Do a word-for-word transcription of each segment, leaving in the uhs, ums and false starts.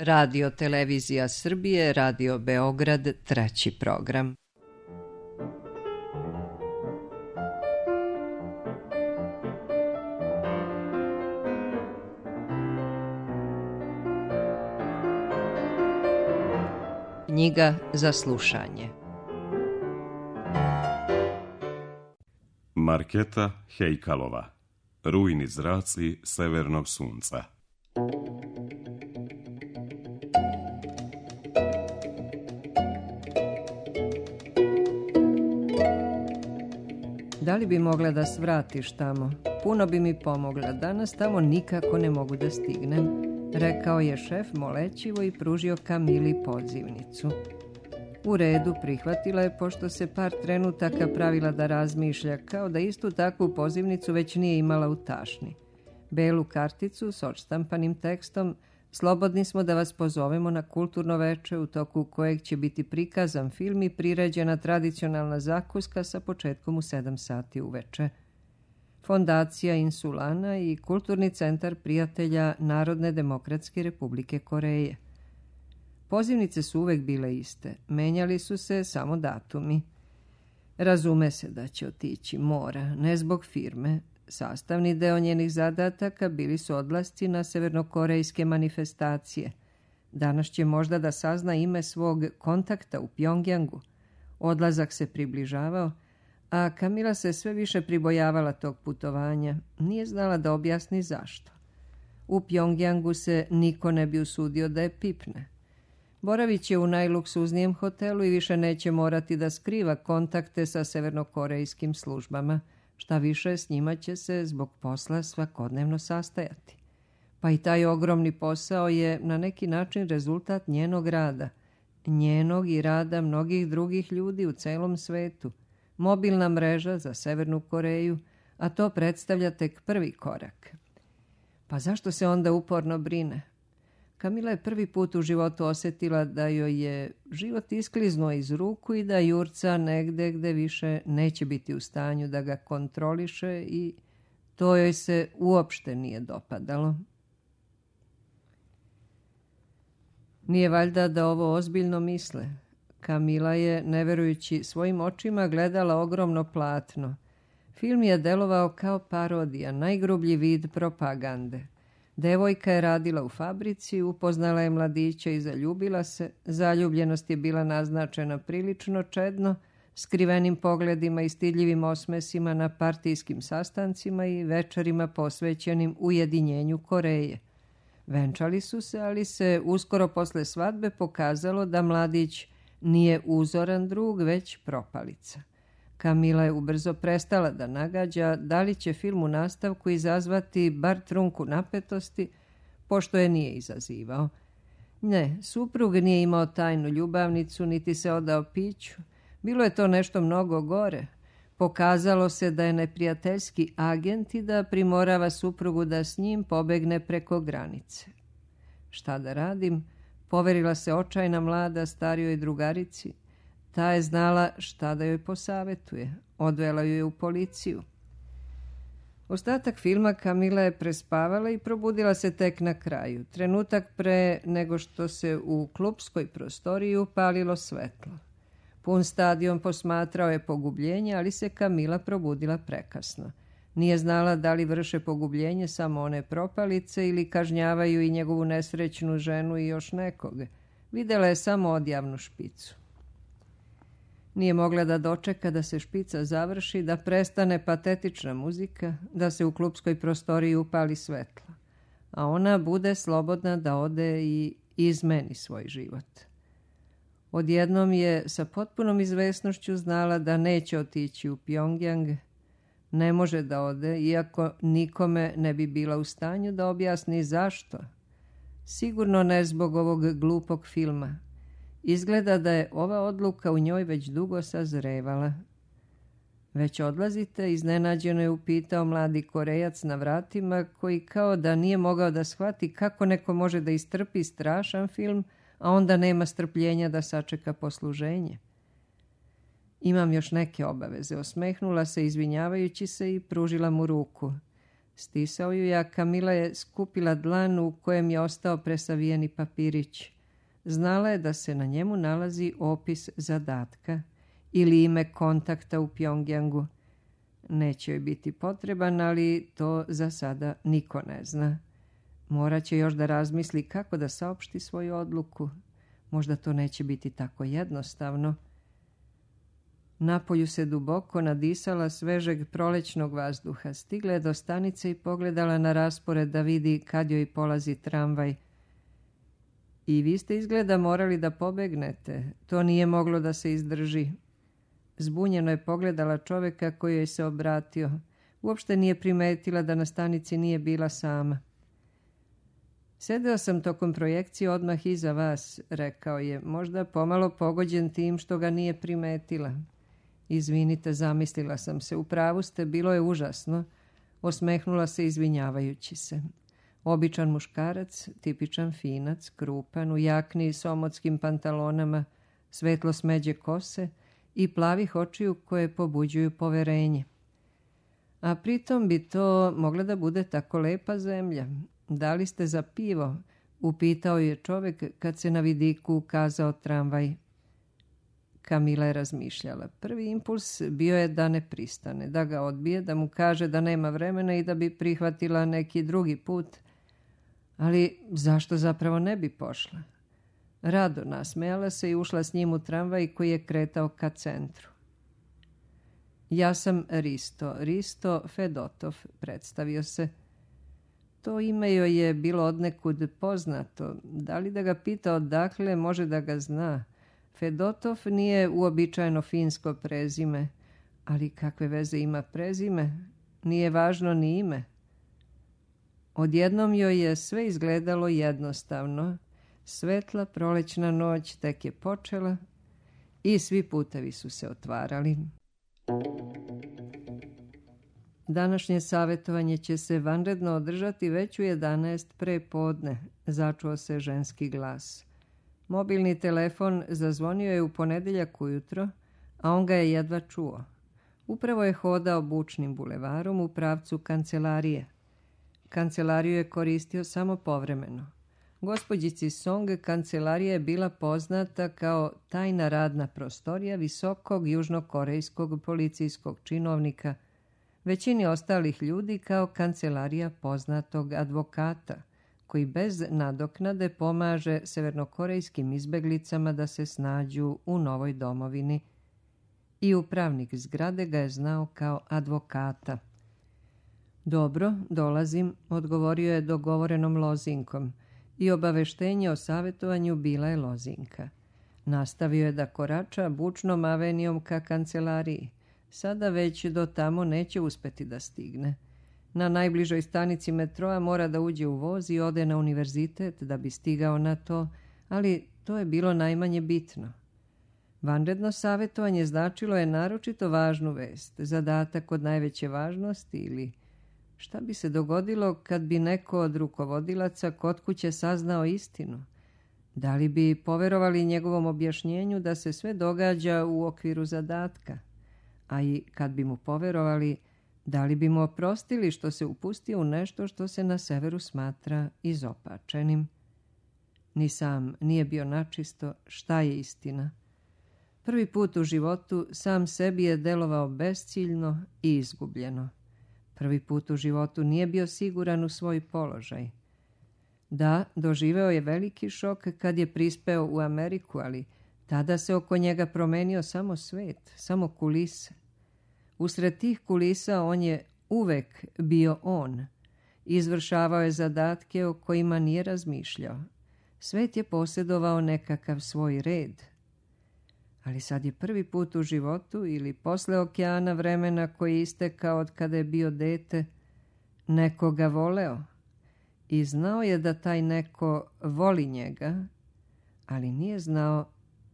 Radio Televizija Srbije, Radio Beograd, treći program. Knjiga za slušanje. Marketa Hejkalova. Rujni zraci severnog sunca. Da li bi mogla da svratiš tamo? Puno bi mi pomogla. Danas tamo nikako ne mogu da stignem, rekao je šef molećivo i pružio Kamili pozivnicu. U redu, prihvatila je, pošto se par trenutaka pravila da razmišlja, kao da istu takvu pozivnicu već nije imala u tašni. Belu karticu s odštampanim tekstom: slobodni smo da vas pozovemo na kulturno veče u toku kojeg će biti prikazan film i priređena tradicionalna zakuska sa početkom u sedam sati uveče. Fondacija Insulana i Kulturni centar prijatelja Narodne demokratske Republike Koreje. Pozivnice su uvek bile iste, menjali su se samo datumi. Razume se da će otići, mora, ne zbog firme. Sastavni deo njenih zadataka bili su odlasci na severnokorejske manifestacije. Danas će možda da sazna ime svog kontakta u Pjongjangu. Odlazak se približavao, a Kamila se sve više pribojavala tog putovanja. Nije znala da objasni zašto. U Pjongjangu se niko ne bi usudio da je pipne. Boravit će u najluksuznijem hotelu i više neće morati da skriva kontakte sa severnokorejskim službama. Šta više, s njima će se zbog posla svakodnevno sastajati. Pa i taj ogromni posao je na neki način rezultat njenog rada. Njenog i rada mnogih drugih ljudi u celom svetu. Mobilna mreža za Severnu Koreju, a to predstavlja tek prvi korak. Pa zašto se onda uporno brine? Kamila je prvi put u životu osjetila da joj je život iskliznuo iz ruku i da jurca negde gde više neće biti u stanju da ga kontroliše, i to joj se uopšte nije dopadalo. Nije valjda da ovo ozbiljno misle. Kamila je, ne verujući svojim očima, gledala ogromno platno. Film je delovao kao parodija, najgrublji vid propagande. Devojka je radila u fabrici, upoznala je mladića i zaljubila se. Zaljubljenost je bila naznačena prilično čedno, skrivenim pogledima i stidljivim osmesima na partijskim sastancima i večerima posvećenim ujedinjenju Koreje. Venčali su se, ali se uskoro posle svadbe pokazalo da mladić nije uzoran drug, već propalica. Kamila je ubrzo prestala da nagađa da li će film u nastavku izazvati bar trunku napetosti, pošto je nije izazivao. Ne, suprug nije imao tajnu ljubavnicu, niti se odao piću. Bilo je to nešto mnogo gore. Pokazalo se da je neprijateljski agent i da primorava suprugu da s njim pobegne preko granice. Šta da radim? Poverila se očajna mlada starijoj drugarici. Ta je znala šta da joj posavetuje. Odvela ju je u policiju. Ostatak filma Kamila je prespavala i probudila se tek na kraju, trenutak pre nego što se u klupskoj prostoriji upalilo svetlo. Pun stadion posmatrao je pogubljenje, ali se Kamila probudila prekasno. Nije znala da li vrše pogubljenje samo one propalice ili kažnjavaju i njegovu nesrećnu ženu i još nekoga. Videla je samo odjavnu špicu. Nije mogla da dočeka da se špica završi, da prestane patetična muzika, da se u klupskoj prostoriji upali svetlo, a ona bude slobodna da ode i izmeni svoj život. Odjednom je sa potpunom izvesnošću znala da neće otići u Pjongjang. Ne može da ode, iako nikome ne bi bila u stanju da objasni zašto. Sigurno ne zbog ovog glupog filma. Izgleda da je ova odluka u njoj već dugo sazrevala. Već odlazite, iznenađeno je upitao mladi Korejac na vratima, koji kao da nije mogao da shvati kako neko može da istrpi strašan film, a onda nema strpljenja da sačeka posluženje. Imam još neke obaveze, osmehnula se izvinjavajući se i pružila mu ruku. Stisao ju je, a Kamila je skupila dlan u kojem je ostao presavijeni papirić. Znala je da se na njemu nalazi opis zadatka ili ime kontakta u Pjongjangu. Neće joj biti potreban, ali to za sada niko ne zna. Morat će još da razmisli kako da saopšti svoju odluku. Možda to neće biti tako jednostavno. Napolju se duboko nadisala svežeg prolećnog vazduha. Stigla je do stanice i pogledala na raspored da vidi kad joj polazi tramvaj. I vi ste izgleda morali da pobegnete. To nije moglo da se izdrži. Zbunjeno je pogledala čoveka koji joj se obratio. Uopšte nije primetila da na stanici nije bila sama. Sedeo sam tokom projekcije odmah iza vas, rekao je, možda pomalo pogođen tim što ga nije primetila. Izvinite, zamislila sam se, u pravu ste, bilo je užasno. Osmehnula se izvinjavajući se. Običan muškarac, tipičan finac, krupan, u jakni s omotskim pantalonama, svetlo smeđe kose i plavih očiju koje pobuđuju poverenje. A pritom bi to mogla da bude tako lepa zemlja. Da li ste za pivo? Upitao je čovek kad se na vidiku ukazao tramvaj. Kamila je razmišljala. Prvi impuls bio je da ne pristane, da ga odbije, da mu kaže da nema vremena i da bi prihvatila neki drugi put. Ali zašto zapravo ne bi pošla? Rado nasmejala se i ušla s njim u tramvaj koji je kretao ka centru. Ja sam Risto, Risto Fedotov, predstavio se. To ime joj je bilo odnekud poznato. Da li da ga pita odakle, može da ga zna. Fedotov nije uobičajeno finsko prezime, ali kakve veze ima prezime? Nije važno ni ime. Odjednom joj je sve izgledalo jednostavno. Svetla prolećna noć tek je počela i svi putevi su se otvarali. Današnje savjetovanje će se vanredno održati već u jedanaest pre podne, začuo se ženski glas. Mobilni telefon zazvonio je u ponedeljak ujutro, a on ga je jedva čuo. Upravo je hodao bučnim bulevarom u pravcu kancelarije. Kancelariju je koristio samo povremeno. Gospođici Song kancelarija je bila poznata kao tajna radna prostorija visokog južnokorejskog policijskog činovnika, većini ostalih ljudi kao kancelarija poznatog advokata, koji bez nadoknade pomaže severnokorejskim izbeglicama da se snađu u novoj domovini. I upravnik zgrade ga je znao kao advokata. Dobro, dolazim, odgovorio je dogovorenom lozinkom i obaveštenje o savjetovanju bila je lozinka. Nastavio je da korača bučnom avenijom ka kancelariji. Sada već do tamo neće uspeti da stigne. Na najbližoj stanici metroa mora da uđe u voz i ode na univerzitet da bi stigao na to, ali to je bilo najmanje bitno. Vanredno savjetovanje značilo je naročito važnu vest, zadatak od najveće važnosti ili šta bi se dogodilo kad bi neko od rukovodilaca kod kuće saznao istinu? Da li bi poverovali njegovom objašnjenju da se sve događa u okviru zadatka? A i kad bi mu poverovali, da li bi mu oprostili što se upustio u nešto što se na severu smatra izopačenim? Ni sam nije bio načisto šta je istina. Prvi put u životu sam sebi je delovao besciljno i izgubljeno. Prvi put u životu nije bio siguran u svoj položaj. Da, doživeo je veliki šok kad je prispeo u Ameriku, ali tada se oko njega promenio samo svet, samo kulise. Usred tih kulisa on je uvek bio on. Izvršavao je zadatke o kojima nije razmišljao. Svet je posjedovao nekakav svoj red. Ali sad je prvi put u životu ili posle okeana vremena koji je istekao od kada je bio dete, nekoga voleo. I znao je da taj neko voli njega, ali nije znao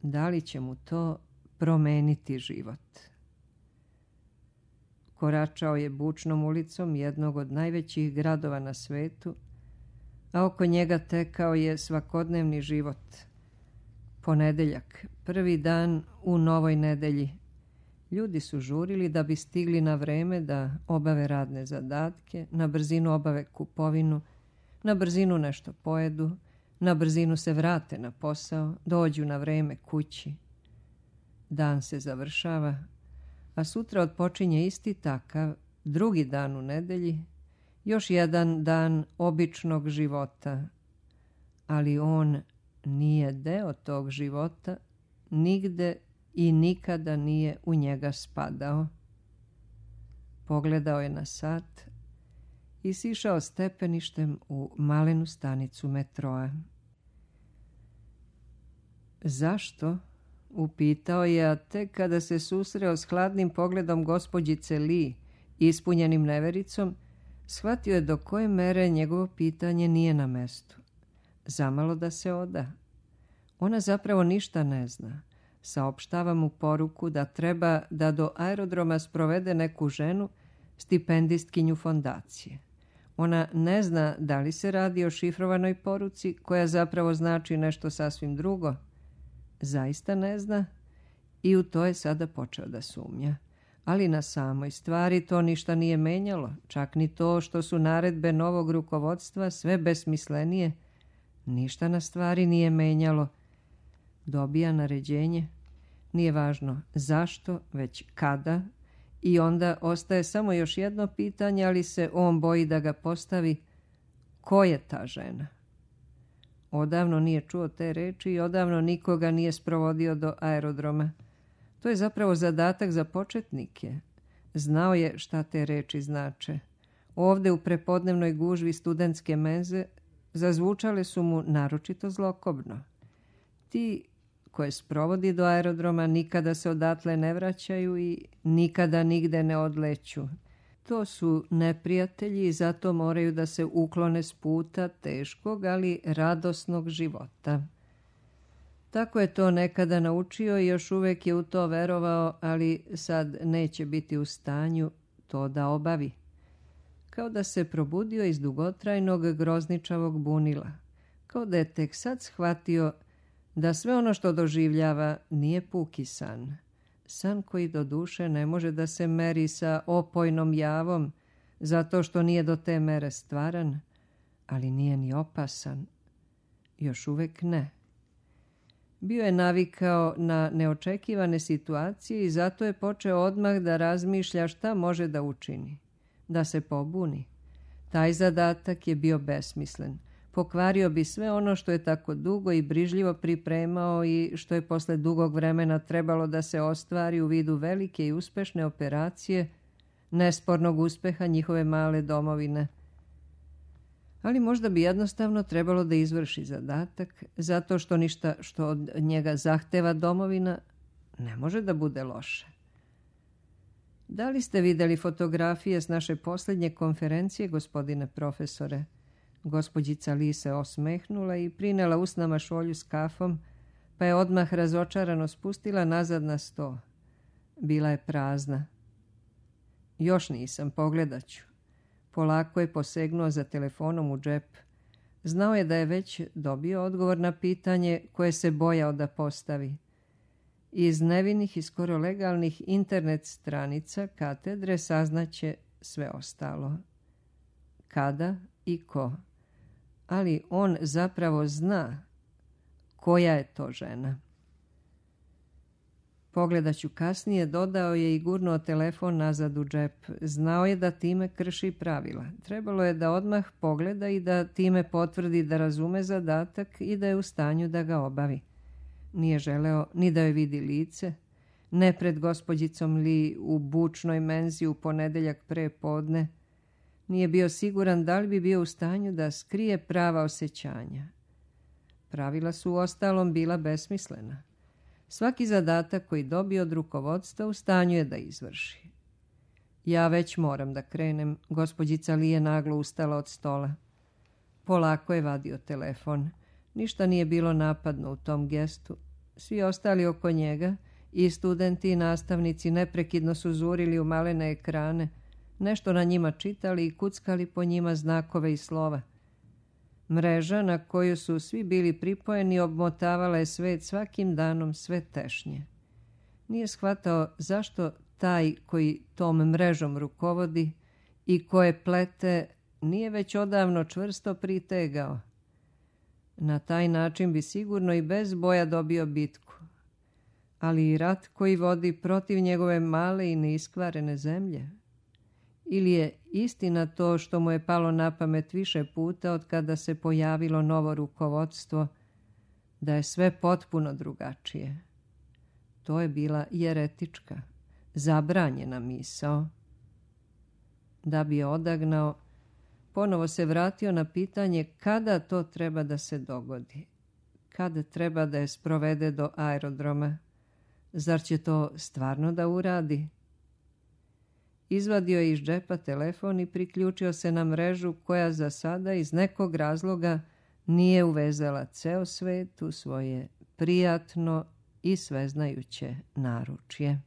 da li će mu to promeniti život. Koračao je bučnom ulicom jednog od najvećih gradova na svetu, a oko njega tekao je svakodnevni život. Ponedeljak, prvi dan u novoj nedelji. Ljudi su žurili da bi stigli na vreme da obave radne zadatke, na brzinu obave kupovinu, na brzinu nešto pojedu, na brzinu se vrate na posao, dođu na vreme kući. Dan se završava, a sutra odpočinje isti takav, drugi dan u nedelji, još jedan dan običnog života, ali on nije deo tog života, nigde i nikada nije u njega spadao. Pogledao je na sat i sišao stepeništem u malenu stanicu metroa. Zašto? Upitao je, a tek kada se susreo s hladnim pogledom gospođice Lee, ispunjenim nevericom, shvatio je do koje mere njegovo pitanje nije na mestu. Zamalo da se oda. Ona zapravo ništa ne zna. Saopštava mu poruku da treba da do aerodroma sprovede neku ženu, stipendistkinju fondacije. Ona ne zna da li se radi o šifrovanoj poruci koja zapravo znači nešto sasvim drugo. Zaista ne zna i u to je sada počeo da sumnja. Ali na samoj stvari to ništa nije menjalo, čak ni to što su naredbe novog rukovodstva sve besmislenije. Ništa na stvari nije menjalo. Dobija naređenje, nije važno zašto, već kada, i onda ostaje samo još jedno pitanje, ali se on boji da ga postavi. Ko je ta žena? Odavno nije čuo te reči i odavno nikoga nije sprovodio do aerodroma. To je zapravo zadatak za početnike. Znao je šta te reči znače. Ovde u prepodnevnoj gužvi studentske menze zazvučale su mu naročito zlokobno. Ti koje sprovodi do aerodroma nikada se odatle ne vraćaju i nikada nigde ne odleću. To su neprijatelji i zato moraju da se uklone s puta teškog, ali radosnog života. Tako je to nekada naučio i još uvek je u to verovao, ali sad neće biti u stanju to da obavi. Kao da se probudio iz dugotrajnog grozničavog bunila. Kao da je tek sad shvatio da sve ono što doživljava nije puki san. San koji do duše ne može da se meri sa opojnom javom, zato što nije do te mere stvaran, ali nije ni opasan. Još uvek ne. Bio je navikao na neočekivane situacije i zato je počeo odmah da razmišlja šta može da učini. Da se pobuni. Taj zadatak je bio besmislen. Pokvario bi sve ono što je tako dugo i brižljivo pripremao i što je posle dugog vremena trebalo da se ostvari u vidu velike i uspešne operacije, nespornog uspeha njihove male domovine. Ali možda bi jednostavno trebalo da izvrši zadatak, zato što ništa što od njega zahteva domovina ne može da bude loše. Da li ste videli fotografije s naše posljednje konferencije, gospodine profesore? Gospođica Lee se osmehnula i prinela usnama šolju s kafom, pa je odmah razočarano spustila nazad na sto. Bila je prazna. Još nisam, pogledat ću. Polako je posegnuo za telefonom u džep. Znao je da je već dobio odgovor na pitanje koje se bojao da postavi. Iz nevinih i skoro legalnih internet stranica katedre saznaće sve ostalo. Kada i ko. Ali on zapravo zna koja je to žena. Pogledat ću kasnije, dodao je i gurnuo telefon nazad u džep. Znao je da time krši pravila. Trebalo je da odmah pogleda i da time potvrdi da razume zadatak i da je u stanju da ga obavi. Nije želeo ni da joj vidi lice, ne pred gospođicom Lee u bučnoj menzi u ponedeljak pre podne. Nije bio siguran da li bi bio u stanju da skrije prava osjećanja. Pravila su uostalom bila besmislena. Svaki zadatak koji dobije od rukovodstva u stanju je da izvrši. Ja već moram da krenem, gospođica Lee je naglo ustala od stola. Polako je vadio telefon. Ništa nije bilo napadno u tom gestu. Svi ostali oko njega, i studenti i nastavnici, neprekidno su zurili u malene ekrane, nešto na njima čitali i kuckali po njima znakove i slova. Mreža na koju su svi bili pripojeni obmotavala je svet svakim danom sve tešnje. Nije shvatao zašto taj koji tom mrežom rukovodi i koje plete nije već odavno čvrsto pritegao. Na taj način bi sigurno i bez boja dobio bitku. Ali i rat koji vodi protiv njegove male i neiskvarene zemlje? Ili je istina to što mu je palo na pamet više puta od kada se pojavilo novo rukovodstvo, da je sve potpuno drugačije? To je bila jeretička, zabranjena misao. Da bi je odagnao, ponovo se vratio na pitanje kada to treba da se dogodi, kada treba da je sprovede do aerodroma. Zar će to stvarno da uradi? Izvadio je iz džepa telefon i priključio se na mrežu koja za sada iz nekog razloga nije uvezala ceo svet u svoje prijatno i sveznajuće naručje.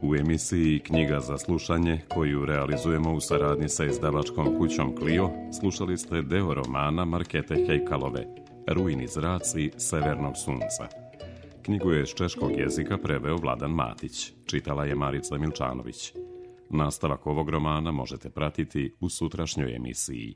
U emisiji Knjiga za slušanje, koju realizujemo u saradnji sa izdavačkom kućom Clio, slušali ste deo romana Markete Hejkalove, Rujni zraci severnog sunca. Knjigu je s češkog jezika preveo Vladan Matić, čitala je Marica Milčanović. Nastavak ovog romana možete pratiti u sutrašnjoj emisiji.